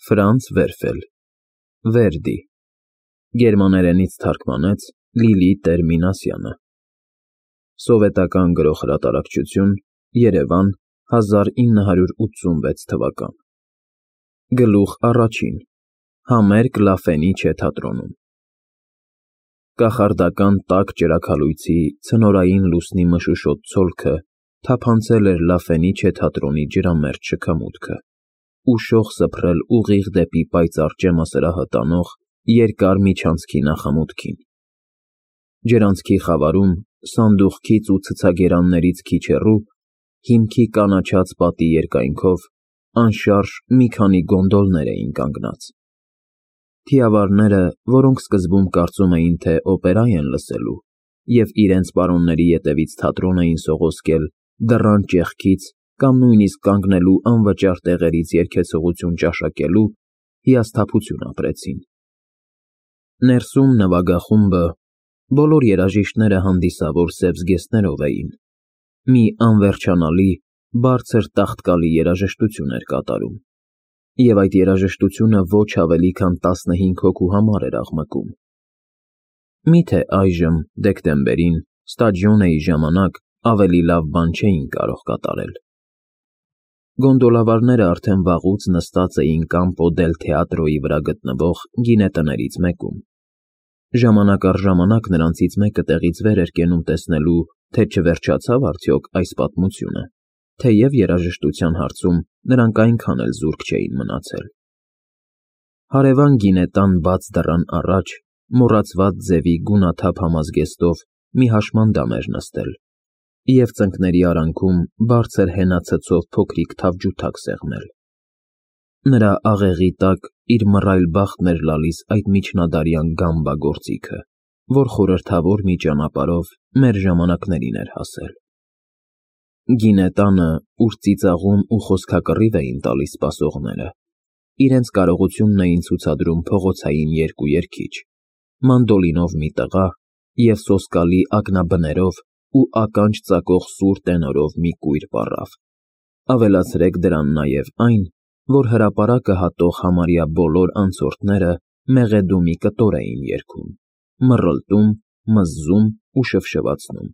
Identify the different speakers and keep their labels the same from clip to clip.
Speaker 1: Ֆրանց Վերֆել, Վերդի, գերմաներենից թարգմանեց Լիլի Տեր-Մինասյանը, սովետական գրող-հրատարակչություն, Երևան, 1986 թվական, գլուխ առաջին, համերգ Լաֆենիչե թատրոնում, կախարդական տաք ճրագալույցի ցնորային լուսնի մշուշոտ ցոլքը թափանցել էր Լաֆենիչե թատրոնի ջրամերձ շքամուտքը, ուշող սփռել ուղիղ դեպի պայծառ ճեմասրահը տանող երկար միջանցքի նախամուտքին։ Ջրանցքի խավարում, սանդուղքից ու ցցագերաններից քիչ հեռու, հիմքի կանաչած պատի երկայնքով, անշարժ մի քանի գոնդոլներ էին կանգնած։ Թիավարները, որոնք սկզբում կարծում էին, թե օպերա են լսելու, և իրենց պարոնների ետևից թատրոն էին սողոսկել դռան ճեղքից կամ նույնիսկ կանգնելու անվճար տեղերից երգեցողություն ճաշակելու, հիասթափություն ապրեցին։ Ներսում նվագախումբը, բոլոր երաժիշտները հանդիսավոր սև զգեստներով էին, մի անվերջանալի, բարձր տաղտկալի երաժշտություն էր կատարում, և այդ երաժշտությունը ոչ ավելի քան 15 հոգու համար էր աղմկում։ Միթե այժմ, դեկտեմբերին, ստադիոնեի ժամանակ ավելի լավ բան չէին կարող կատարել։ Գոնդոլավարները արդեն վաղուց նստած էին Կամպո դել Թեատրոյի վրա գտնվող գինետներից մեկում։ Ժամանակ առ ժամանակ նրանցից մեկը տեղից վեր էր կենում տեսնելու, թե չվերջացավ արդյոք այս պատմությունը, թեև երաժշտության հարցում նրանք այնքան էլ զուրկ չէին մնացել։ Հարևան գինետան բաց դռան առաջ, մոռացված ձևի գունաթափ համազգեստով մի հաշմանդամ էր նստել, և ծնկների արանքում բարձր հենացցով փոքրիկ թավջութակ սեղմել։ Նրա աղեղի տակ իր մռայլ բախտն էր լալիս այդ միջնադարյան գամբա գործիքը, որ խորհրդավոր մի ճանապարհով մեր ժամանակներին էր հասել։ Գինետանը, ուր ծիծաղում ու խոսքակռիվ էին տալիս սպասողները, իրենց կարողությունն էին ցուցադրում փողոցային երկու երգիչ, մանդոլինով մի տղա և սոսկալի ակնաբներով ու ականջ ծակող սուր տենորով մի կույր պառավ։ Ավելացրեք դրան նաև այն, որ հրապարակը հատող համարյա բոլոր անցորդները մեղեդու մի կտոր էին երգում, մռլտում, մզզում ու շվշվացնում,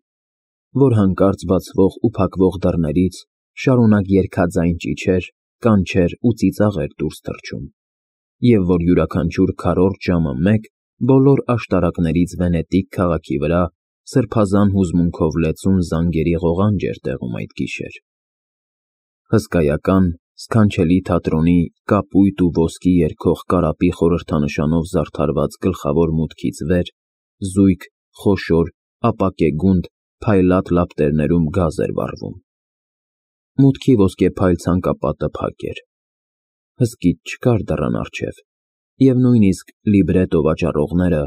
Speaker 1: որ հանկարծ բացվող ու փակվող դռներից շարունակ երգաձայն ճիչեր, կանչեր ու ծիծաղ էր դուրս թռչում, և որ յուրաքանչյուր քառորդ ժամը մեկ բոլոր աշտարակներից Վենետիկ քաղաքի վրա սրբազան հուզմունքով լեցուն զանգերի ղողանջ էր տեղում այդ գիշեր։ Հսկայական, սքանչելի թատրոնի կապույտ ու ոսկի երգող կարապի խորհրդանշանով զարդարված գլխավոր մուտքից վեր, զույգ, խոշոր, ապակեգունդ, փայլատ լապտերներում գազ էր վառվում։ Մուտքի ոսկեփայլ ցանկապատը փակ էր։ Հսկիչ չկար դռան առջև, և նույնիսկ լիբրետո վաճառողները,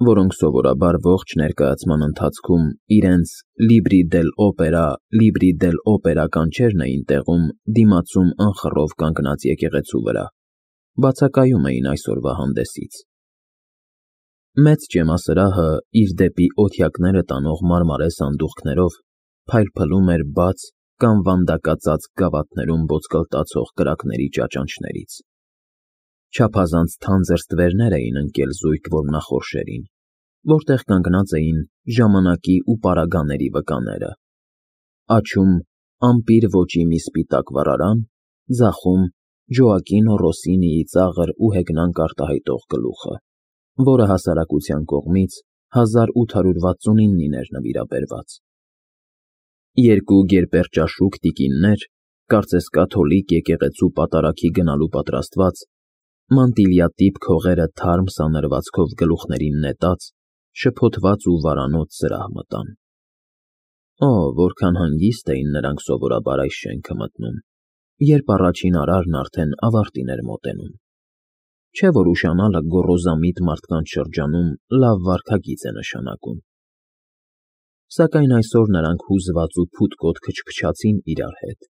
Speaker 1: որոնք սովորաբար ողջ ներկայացման ընթացքում իրենց «Լիբրի դել օպերա» կանչերն էին տեղում դիմացում անխռով կանգնած եկեղեցու վրա, բացակայում էին այսօրվա հանդեսից։ Մեծ ճեմասրահը իր դեպի օթյակները տանող մարմարե սանդուղքներով փայլփլում էր բաց կամ վանդակածածկ գավաթներում ոսկլտացող կրակների ճաճանչներից։ Չափազանց թանձր ստվերներ էին ընկել զույգ որմնախորշերին, որտեղ կանգնած էին ժամանակի ու պարագաների վկաները։ Աջում ամպիր ոճի մի սպիտակ վառարան, ձախում Ջոակինո Ռոսինիի ծաղր ու հեգնանք արտահայտող գլուխը, որը հասարակության կողմից 1869-ին էր նվիրաբերված։ Երկու գերպերճաշուք տիկիններ, կարծես կաթոլիկ եկեղեցու պատարագի գնալու պատրաստված, մանտիլյատիպ քողերը թարմ սանրվածքով գլուխներին նետած, շփոթված ու վարանոց սրահ մտան։ Օ, որքան հանգիստ էին նրանք սովորաբար այս շենքը մտնում, երբ առաջին արարն արդեն ավարտին էր մոտենում։ Չէ՞ որ ուշանալը գոռոզամիտ մարդկանց շրջանում լավ վարքագիծ է նշանակում։ Սակայն այսօր նրանք հուզված ու փութկոտ քչփչացին իրար հետ,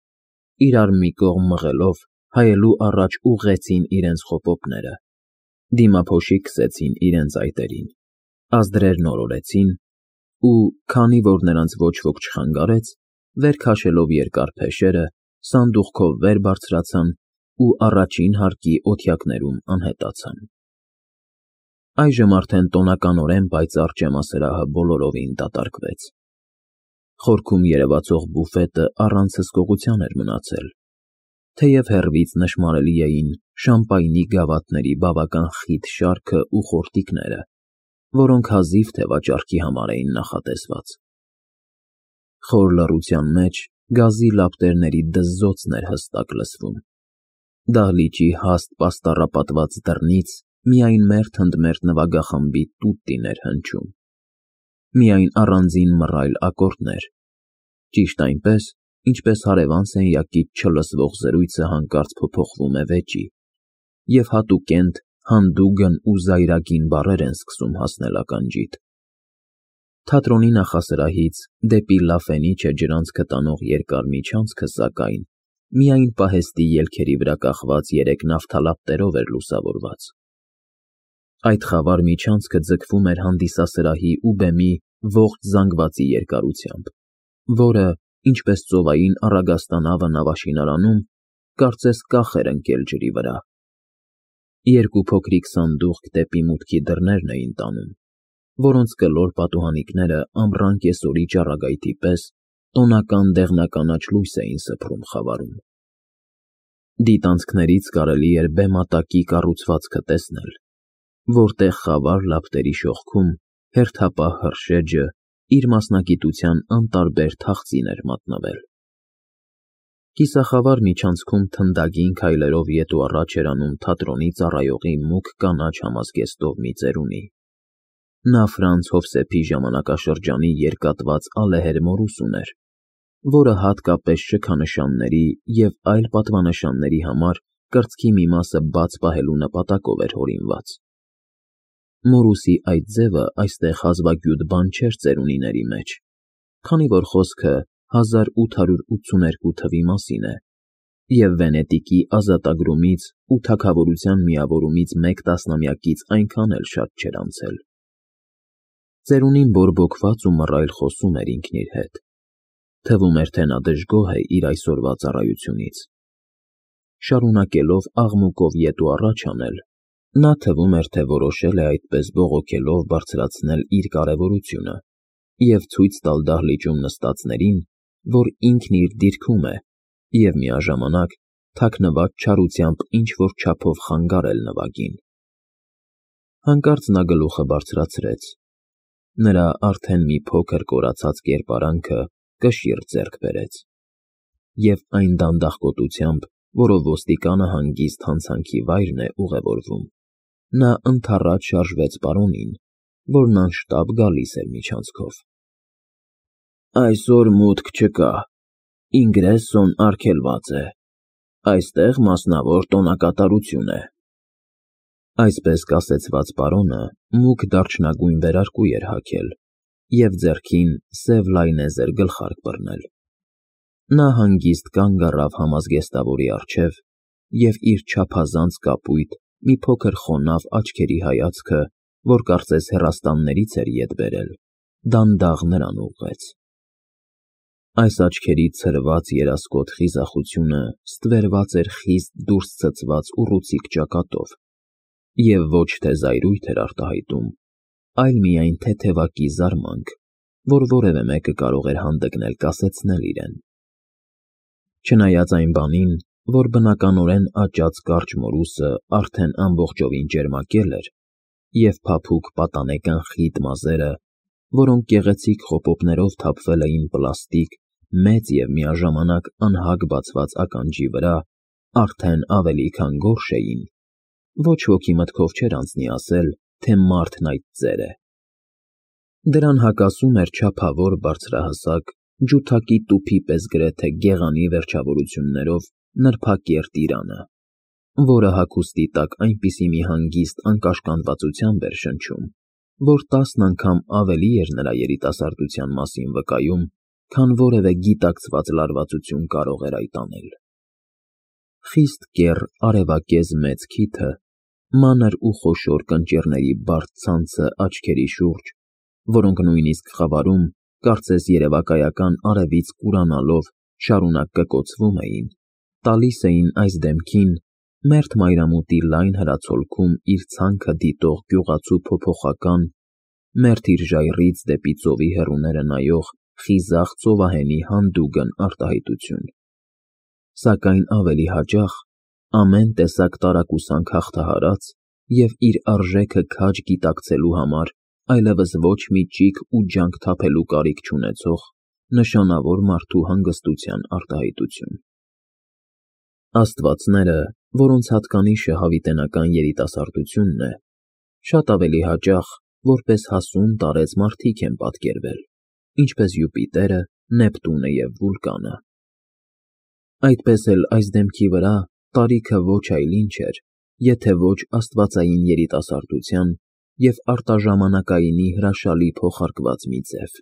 Speaker 1: իրար մի կողմ մղելով, հայելու առաջ ուղղեցին իրենց խոպոպները, դիմափոշի քսեցին իրենց այտերին, ազդրերն օրորեցին ու, քանի որ նրանց ոչ ոք չխանգարեց, վեր քաշելով երկար փեշերը, սանդուղքով վեր բարձրացան ու առաջին հարկի օթյակներում անհետացան։ Այժմ արդեն տոնականորեն պայծառ ճեմասրահը բոլորովին դատարկվեց։ Խորքում երևացող բուֆետը առանց հսկողության էր մնացել, թեև հեռվից նշմարելի էին շամպայնի գավաթների բավական խիտ շարքը ու խորտիկները, որոնք հազիվ թե վաճառքի համար էին նախատեսված։ Խոր լռության մեջ գազի լապտերների դզզոցն էր հստակ լսվում։ Դահլիճի հաստ պաստառապատված դռնից միայն մերթ-ընդմերթ նվագախմբի տուտտին էր հնչում։ Միայն առանձին մռայլ ակորդներ, ճիշտ այնպես, ինչպես հարևան սենյակից չլսվող զրույցը հանկարծ փոփոխվում է վեճի, և հատուկենտ, հանդուգն ու զայրագին բառեր են սկսում հասնել ականջիդ։ Թատրոնի նախասրահից դեպի լաֆենիչը ջրանցքը տանող երկար միջանցքը, սակայն, միայն պահեստի ելքերի վրա կախված 3 նավթալապտերով էր լուսավորված։ Այդ խավար միջանցքը ձգվում էր հանդիսասրահի ու բեմի ողջ զանգվածի երկարությամբ, որը, ինչպես ծովային առագաստանավը նավաշինարանում, կարծես կախ էր ընկել ջրի վրա։ 2 փոքրիկ սանդուղք դեպի մուտքի դռներն էին տանում, որոնց կլոր պատուհանիկները ամռան կեսօրի ճառագայթի պես տոնական դեղնականաչ լույս էին սփռում խավարում։ Դիտանցքներից կարելի էր բեմատակի կառուցվածքը տեսնել, որտեղ խավար լապտերի շողքում հերթապահ հրշեջը իր մասնագիտության անտարբեր թախծին էր մատնվել։ Կիսախավար միջանցքում թնդագին քայլերով ետ ու առաջ էր անում թատրոնի ծառայողի մուգ կանաչ համազգեստով մի ծերունի։ Նա Ֆրանց Հովսեփի ժամանակաշրջանի երկատված ալեհեր մորուս ուներ, որը հատկապես շքանշանների և այլ պատվանշանների համար կրծքի մի մասը բաց պահելու նպատակով էր հորինված։ Մորուսի այդ ձևը այստեղ հազվագյուտ բան չէր ծերունիների մեջ, քանի որ խոսքը 1882 թվի մասին է, և Վենետիկի ազատագրումից ու թագավորության միավորումից մեկ տասնամյակից այնքան էլ շատ չէր անցել։ Ծերունին բորբոքված ու մռայլ խոսում էր ինքն իր հետ։ Թվում էր, թե նա դժգոհ է իր այսօրվա ծառայությունից։ Շարունակելով աղմուկով ետ ու առաջ անել, նա թվում էր, թե որոշել է այդպես բողոքելով բարձրացնել իր կարևորությունը և ցույց տալ դահլիճում նստածներին, որ ինքն իր դիրքում է և միաժամանակ թաքնված չարությամբ ինչ-որ չափով խանգարել նվագին։ Հանկարծ նա գլուխը բարձրացրեց։ Նրա արդեն մի փոքր կորացած կերպարանքը կշիռ ձեռք բերեց, և այն դանդաղկոտությամբ, որով ոստիկանը հանգիստ հանցանքի վայրն է ուղևորվում, նա ընդառաջ շարժվեց պարոնին, որն անշտապ գալիս էր միջանցքով։ Այսօր մուտք չկա, ինգրեսոն արգելված է, այստեղ մասնավոր տոնակատարություն է։ Այսպես կասեցված պարոնը մուգ դարչնագույն վերարկու էր հագել և ձեռքին սև լայնեզր գլխարկ բռնել։ Նա հանգիստ կանգ առավ համազգեստավորի առջև և իր չափազանց կապույտ, մի փոքր խոնավ աչքերի հայացքը, որ կարծես հեռաստաններից էր ետ բերել, դանդաղ նրան ուղղեց։ Այս աչքերի ցրված երասկոտ խիզախությունը ստվերված էր խիստ դուրս ցցված ուռուցիկ ճակատով և ոչ թե զայրույթ էր արտահայտում, այլ միայն թեթևակի զարմանք, որ որևէ մեկը կարող էր հանդգնել կասեցնել իրեն։ Չնայած այն բանին, որ բնականորեն աճած կարճ մորուսը արդեն ամբողջովին ճերմակել էր, և փափուկ պատանեկան խիտ մազերը, որոնք գեղեցիկ խոպոպներով թափվել էին պլաստիկ, մեծ և միաժամանակ անհագ բացված ականջի վրա, արդեն ավելի քան գորշ էին, ոչ ոքի մտքով չէր անցնի ասել, թե մարդն այդ ծեր է։ Դրան հակասում էր չափավոր բարձրահասակ, ջութակի տուփի պես գրեթե գեղանի վերջավորություններով նրբակերտ իրանը, որը հագուստի տակ այնպիսի մի հանգիստ անկաշկանդվածությամբ էր շնչում, որ 10 անգամ ավելի էր նրա երիտասարդության մասին վկայում, քան որևէ գիտակցված լարվածություն կարող էր այդ անել։ Խիստ կեռ արևակեզ մեծ քիթը, մանր ու խոշոր կնճիռների բարդ ցանցը աչքերի շուրջ, որոնք նույնիսկ խավարում, կարծես երևակայական արևից կուրանալով, շարունակ կկոցվում էին, տալիս էին այս դեմքին մերթ մայրամուտի լայն հրացոլքում իր ցանքը դիտող գյուղացու փոփոխական, մերթ իր ժայռից դեպի ծովի հեռուները նայող խիզախ ծովահենի հանդուգն արտահայտություն։ Սակայն ավելի հաճախ ամեն տեսակ տարակուսանք հաղթահարած և իր արժեքը քաջ գիտակցելու համար այլևս ոչ մի ճիգ ու ջանք թափելու կարիք չունեցող նշանավոր մարդու հանգստության արտահայտություն։ Աստվածները, որոնց հատկանիշը հավիտենական երիտասարդությունն է, շատ ավելի հաճախ որպես հասուն տարեց մարդիկ են պատկերվել, ինչպես Յուպիտերը, Նեպտունը և Վուլկանը։ Այդպես էլ այս դեմքի վրա տարիքը ոչ այլ ինչ էր, եթե ոչ աստվածային երիտասարդության և արտաժամանակայինի հրաշալի փոխարկված մի ձև։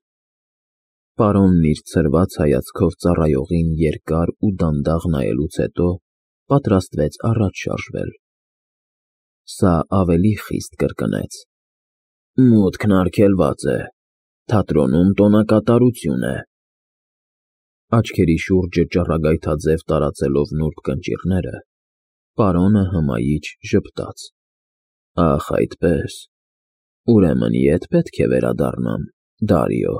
Speaker 1: Պարոնն իր ցրված հայացքով ծառայողին երկար ու դանդաղ նայելուց հետո պատրաստվեց առաջ շարժվել։ Սա ավելի խիստ կրկնեց. «Մուտքն արգելված է, թատրոնում տոնակատարություն է»։ Աչքերի շուրջը ճառագայթաձև տարածելով նուրբ կնճիռները, պարոնը հմայիչ ժպտաց. «Ախ, այդպես, ուրեմն ետ պետք է վերադառնամ, Դարիո»։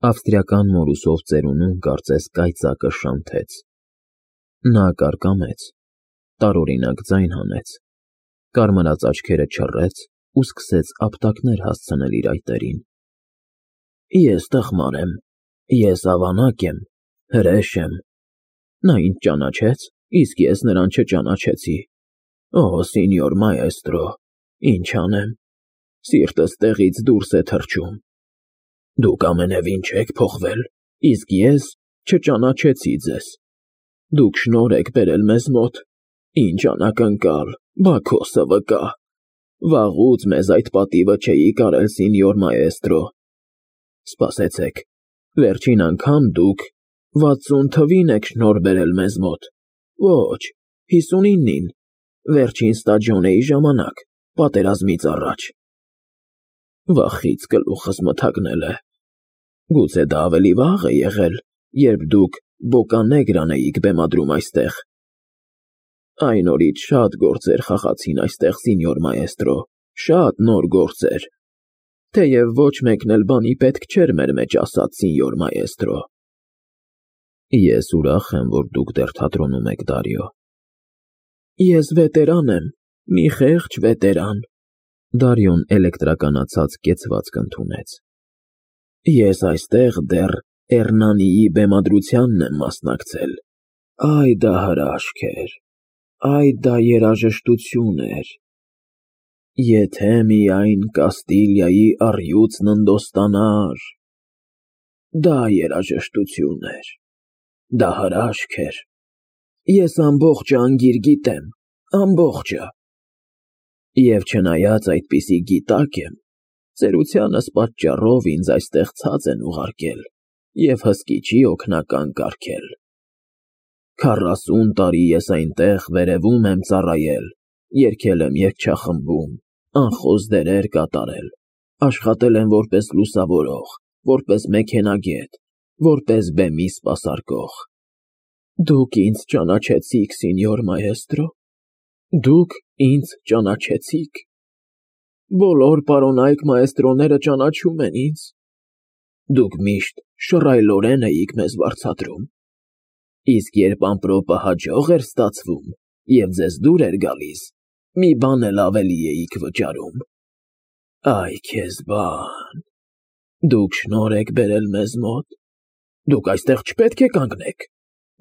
Speaker 1: Ավստրիական մորուսով ծերունուն կարծես կայծակը շանթեց։ Նա կարկամեց, տարօրինակ ձայն հանեց, կարմրած աչքերը չռեց ու սկսեց ապտակներ հասցնել իր այտերին։ «Ես տխմար եմ, ես ավանակ եմ, հրեշ եմ։ Նա ինձ ճանաչեց, իսկ ես նրան չճանաչեցի։ Օ, սինյոր մայեստրո, ինչ անեմ, սիրտս տեղից դուրս է թռչում։ Դուք ամենևին չեք փոխվել, իսկ ես չճանաչեցի ձեզ։ Դուք շնորհ եք բերել մեզ մոտ, ինչ անակնկալ, Բաքոսը վկա։ Վաղուց մեզ այդ պատիվը չէի կարել, սինյոր մայեստրո։ Սպասեցեք, վերջին անգամ դուք 60 թվին եք շնորհ բերել մեզ մոտ, ոչ, 59-ին, վերջին ստաջոնեի ժամանակ, պատերազմից առաջ։ Վախից գլուխս մթագնել է։ Գուցե դա ավելի վաղ է եղել, երբ դուք Բոկանեգրան էիք բեմադրում այստեղ։ Այն օրից շատ գործեր խաղացին այստեղ, սինյոր մայեստրո, շատ նոր գործեր, թեև ոչ մեկն էլ բանի պետք չէր մեր մեջ ասած, սինյոր մայեստրո։ Ես ուրախ եմ, որ դուք դեռ թատրոնում եք, Դարիո։ Ես վետերան եմ, մի խեղճ վետերան։ Դարիոն էլեկտրականացած կեցվածք ընդունեց։ Ես այստեղ դեռ Էռնանիի բեմադրությանն եմ մասնակցել։ Այ դա հրաշք էր, այ դա երաժշտություն էր։ Եթե միայն Կաստիլիայի առյուծն ընդոստանար։ Դա երաժշտություն էր, դա հրաշք էր։ Ես ամբողջը անգիր գիտեմ, ամբողջը։ Եվ չնայած այդպիսի գիտակ եմ, ծերությանս պատճառով ինձ այստեղ ցած են ուղարկել և հսկիչի օգնական կարգել։ 40 տարի ես այնտեղ վերևում եմ ծառայել, երգել եմ երգչախմբում, անխոս դերեր կատարել, աշխատել եմ որպես լուսավորող, որպես մեքենագետ, որպես բեմի սպասարկող։ Դուք ինձ ճանաչեցիք, սինյոր մայեստրո, դուք ինձ ճանաչեցիք։ Բոլոր պարոնայք մայեստրոները ճանաչում են ինձ։ Դուք միշտ շռայլորեն էիք մեզ վարձատրում, իսկ երբ ամպրոպը հաջող էր ստացվում և ձեզ դուր էր գալիս, մի բան էլ ավելի էիք վճարում։ Այ քեզ բան, դուք շնորհ եք բերել մեզ մոտ, դուք այստեղ չպետք է կանգնեք,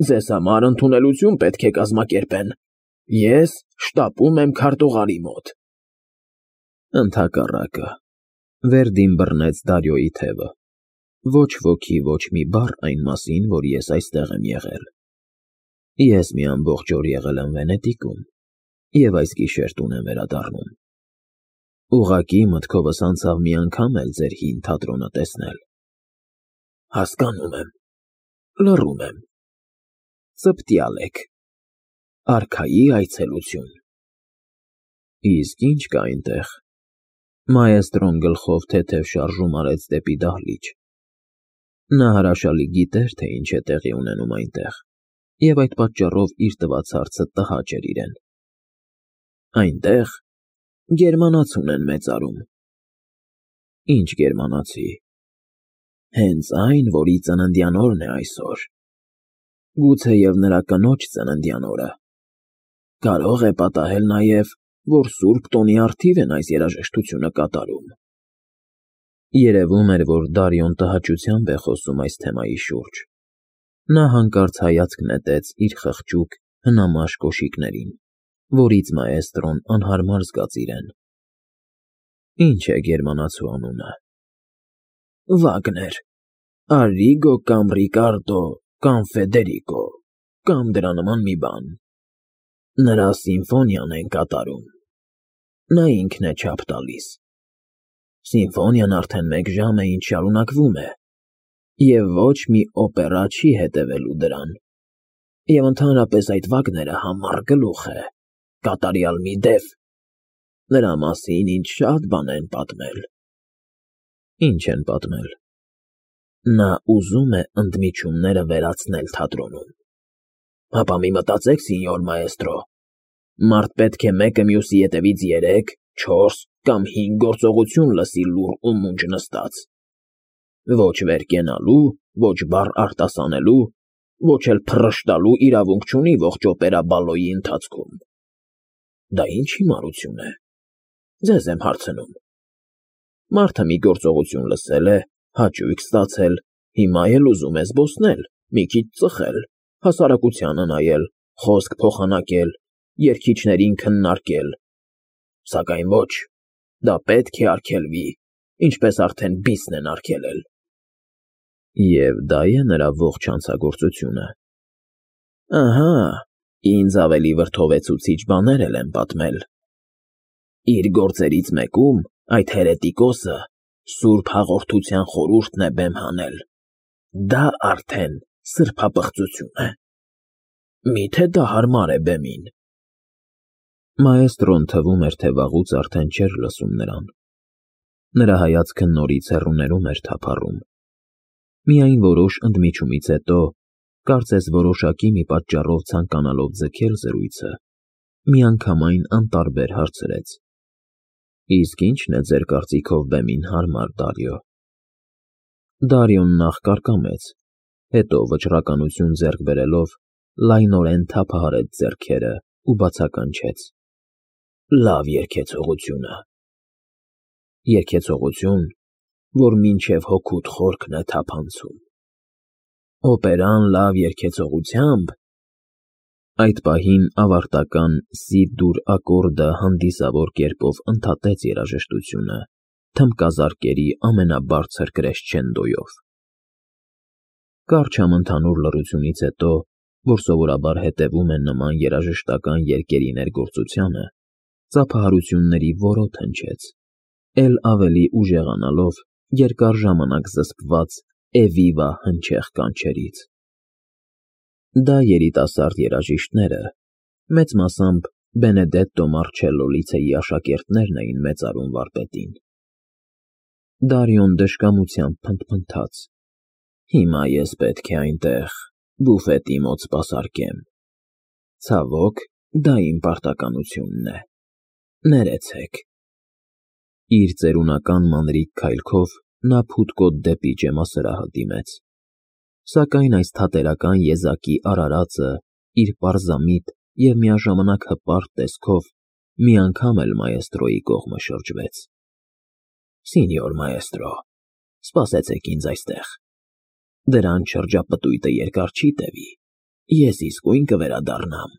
Speaker 1: ձեզ համար ընդունելություն պետք է կազմակերպեն, ես շտապում եմ քարտուղարի մոտ։ Ընդհակառակը, Վերդին բռնեց Դարիոյի թևը։ Ոչ ոքի ոչ մի բառ այն մասին, որ ես այստեղ եմ եղել։ Ես մի ամբողջ օր եղել եմ Վենետիկում և այս գիշեր տուն եմ վերադառնում։ Ուղղակի մտքովս անցավ մի անգամ էլ ձեր հին թատրոնը տեսնել։ Հասկանում եմ, լռում եմ։ Ծպտյալ եք։ Արքայի այցելություն։ Իսկ ինչ կա այնտեղ։ Մայեստրոն գլխով թեթև շարժում արեց դեպի դահլիճ։ Նա հրաշալի գիտեր, թե ինչ է տեղի ունենում այնտեղ։ և այդ պատճառով իր տված հարցը տհաճ էր իրեն։ Այնտեղ գերմանացի ունեն մեծարում։ Ինչ գերմանացի։ Հենց այն, որի ծննդյան օրն է այսօր։ Գուցեև նրա կնոջ ծննդյան օրը։ Կարող է պատահել նաև, որ Սուրբ Տոնի առթիվ են այս երաժշտությունը կատարում։ Երևում էր, որ Դարիոն տհաճությամբ է խոսում այս թեմայի շուրջ։ Նա հանկարծ հայացք նետեց իր խղճուկ, հնամաշ կոշիկներին, որից մաեստրոն անհարմար զգաց իրեն։ Ինչ է գերմանացու անունը։ Վագներ, Արիգո կամ Ռիկարդո կամ Ֆեդերիկո, կամ դրա նման մի բան։ Նրա սիմֆոնիան են կատարում։ Նա ինքն է չափ տալիս։ Սիմֆոնիան արդեն 1 ժամ է ինչ շարունակվում է, և ոչ մի օպերա չի հետևելու դրան, և ընդհանրապես այդ Վագները համառ գլուխ է, կատարյալ մի դև։ Նրա մասին ինձ շատ բան են պատմել։ Ինչ են պատմել։ Նա ուզում է ընդմիջումները վերացնել թատրոնում։ Հապա մի մտածեք, սինյոր մաեստրո, մարդ պետք է մեկը մյուսի ետևից 3, 4 կամ 5 գործողություն լսի լուռ ու մունջ նստած։ Ոչ վեր կենալու, ոչ բառ արտասանելու, ոչ էլ փռշտալու իրավունք չունի ողջ օպերա բալոյի ընթացքում։ Դա ինչ հիմարություն է։ Ձեզ եմ հարցնում։ Մարդը մի գործողություն լսել է, հաճույք ստացել, հիմա էլ ուզում է զբոսնել, մի քիչ ծխել, հասարակությանը նայել, խոսք փոխանակել, երգիչներին քննարկել։ Սակայն ոչ, դա պետք է արգելվի, ինչպես արդեն բիսն են արգելել։ Եվ դա է նրա ողջ հանցագործությունը։ Ահա, ինձ ավելի վրդովեցուցիչ բաներ էլ են պատմել։ Իր գործերից մեկում այդ հերետիկոսը Սուրբ Հաղորդության խորհուրդն է բեմ հանել։ Դա արդեն սրբապղծություն է։ Միթե դա հարմար է բեմին։ Մաեստրոն թվում էր, թե վաղուց արդեն չէր լսում նրան։ Նրա հայացքը նորից հեռուներում էր թափառում։ Միայն որոշ ընդմիջումից հետո, կարծես որոշակի մի պատճառով ցանկանալով ձգել զրույցը, միանգամայն անտարբեր հարցրեց. Իսկ ի՞նչն է ձեր կարծիքով բեմին հարմար, Դարիո։ Դարիոն նախ կարկամեց, հետո վճռականություն ձեռք բերելով լայնորեն թափահարեց ձեռքերը ու բացականչեց. Լավ երգեցողությունը։ Երգեցողություն, որ մինչև հոգուդ խորքն է թափանցում։ Օպերան լավ երգեցողությամբ։ Այդ պահին ավարտական սի֊դուր ակորդը հանդիսավոր կերպով ընդհատեց երաժշտությունը թմբկազարկերի ամենաբարձր կրեսչենդոյով։ Կարճ համընդհանուր լռությունից հետո, որ սովորաբար հետևում են նման երաժշտական երգերի ներգործությանը, ծափահարությունների որոտ հնչեց, էլ ավելի ուժեղանալով երկար ժամանակ զսպված «Էվիվա» հնչեղ կանչերից։ Դա երիտասարդ երաժիշտները, մեծ մասամբ Բենեդետտո Մարչելլո լիցեի աշակերտներն էին մեծարում վարպետին։ Դարիոն դժկամությամբ փնթփնթաց. Հիմա ես պետք է այնտեղ բուֆետի մոտ սպասարկեմ։ Ցավոք, դա իմ պարտականությունն է։ Ներեցեք։ Իր ծերունական մանրիկ քայլքով նա փութկոտ դեպի ջեմասրահը դիմեց։ Սակայն այս թատերական եզակի արարածը իր պարզամիտ և միաժամանակ հպարտ տեսքով մի անգամ էլ մաեստրոյի կողմը շրջվեց։ Սինյոր մաեստրո, սպասեցեք ինձ այստեղ։ Դրան շրջապտույտը երկար չի տևի, ես իսկույն կվերադառնամ։